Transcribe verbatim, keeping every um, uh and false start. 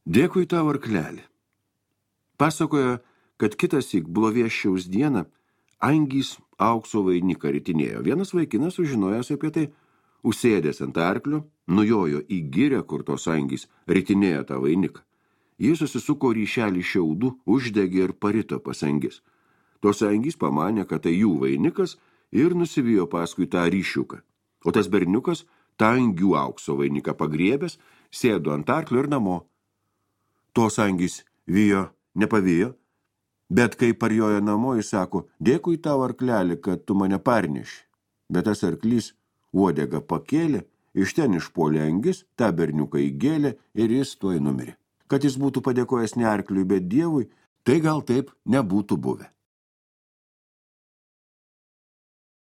Dėkui tau, arkleli. Pasakoja, kad kitąsyk Blovieščiaus dieną angys aukso vainiką ritinėjo. Vienas vaikinas, sužinojęs apie tai, užsėdęs ant arklio, nujojo į girią, kur tos angys ritinėjo tą vainiką. Jis susisuko ryšelį šiaudų, uždegė ir parito pas angis. Tos angys pamanė, kad tai jų vainikas ir nusivijo paskui tą ryšiuką. O tas berniukas, tą angių aukso vainiką pagriebęs, sėdo ant arklio ir namo. Tos angys vijo, nepavijo, bet kai parjojo namo, jis sako, dėkui tau, arkleli, kad tu mane parneši. Bet tas arklys uodegą pakėlė, iš ten išpuolė angis, tą berniuką įgėlė ir jis tuoj numirė. Kad jis būtų padėkojęs ne arkliui, bet Dievui, tai gal taip nebūtų buvę.